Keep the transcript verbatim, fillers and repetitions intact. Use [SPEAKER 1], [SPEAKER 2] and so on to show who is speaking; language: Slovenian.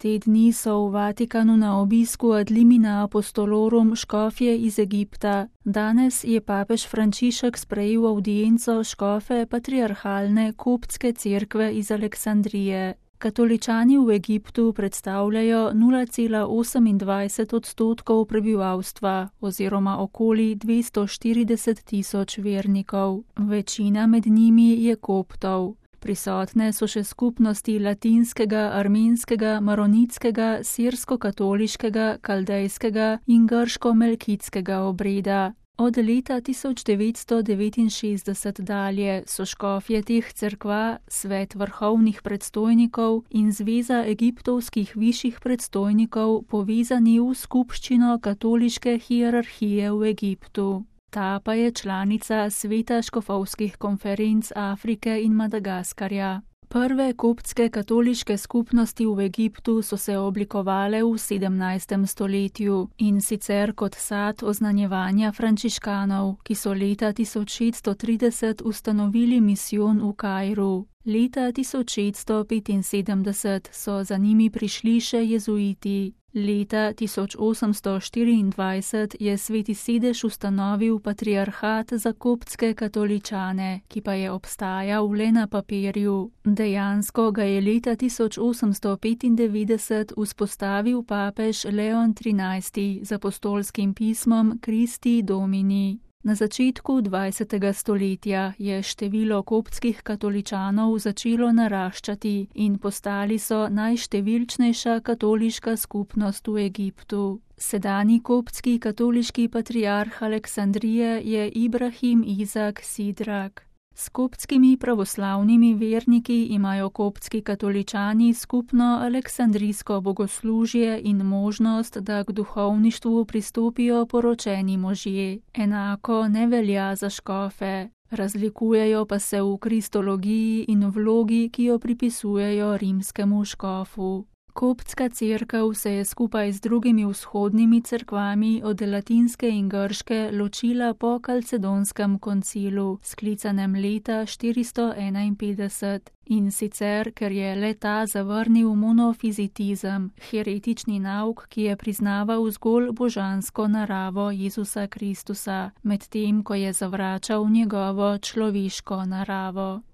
[SPEAKER 1] Te dni so v Vatikanu na obisku ad limina apostolorum škofje iz Egipta. Danes je papež Frančišek sprejel avdienco škofe patriarhalne koptske cerkve iz Aleksandrije. Katoličani v Egiptu predstavljajo nula cela osemindvajset odstotkov prebivalstva oziroma okoli dvesto štirideset tisoč vernikov. Večina med njimi je koptov. Prisotne so še skupnosti latinskega, armenskega, maronitskega, sirsko-katoliškega, kaldejskega in grško-melkitskega obreda. Od leta tisoč devetsto devetinšestdeset dalje so škofje teh cerkva, svet vrhovnih predstojnikov in zveza egiptovskih višjih predstojnikov povezani v skupščino katoliške hierarhije v Egiptu. Ta pa je članica sveta škofovskih konferenc Afrike in Madagaskarja. Prve koptske katoliške skupnosti v Egiptu so se oblikovale v sedemnajstem stoletju in sicer kot sad oznanjevanja frančiškanov, ki so leta tisoč šeststo trideset ustanovili misijon v Kairu. Leta tisoč šeststo petinsedemdeset so za njimi prišli še jezuiti. Leta tisoč osemsto štiriindvajset je Sveti sedež ustanovil patriarhat za koptske katoličane, ki pa je obstajal le na papirju. Dejansko ga je leta tisoč osemsto petindevetdeset vzpostavil papež Leon trinajsti z apostolskim pismom Christi Domini. Na začetku dvajsetega stoletja je število koptskih katoličanov začelo naraščati in postali so najštevilčnejša katoliška skupnost v Egiptu. Sedanji koptski katoliški patriarh Aleksandrije je Ibrahim Izak Sidrak. S koptskimi pravoslavnimi verniki imajo koptski katoličani skupno aleksandrijsko bogoslužje in možnost, da k duhovništvu pristopijo poročeni možje. Enako ne velja za škofe. Razlikujejo pa se v kristologiji in vlogi, ki jo pripisujejo rimskemu škofu. Koptska cerkev se je skupaj z drugimi vzhodnimi cerkvami od latinske in grške ločila po kalcedonskem koncilu, sklicanem leta štiristo enainpetdeset, in sicer, ker je le ta zavrnil monofizitizem, heretični nauk, ki je priznaval zgolj božansko naravo Jezusa Kristusa, medtem ko je zavračal njegovo človeško naravo.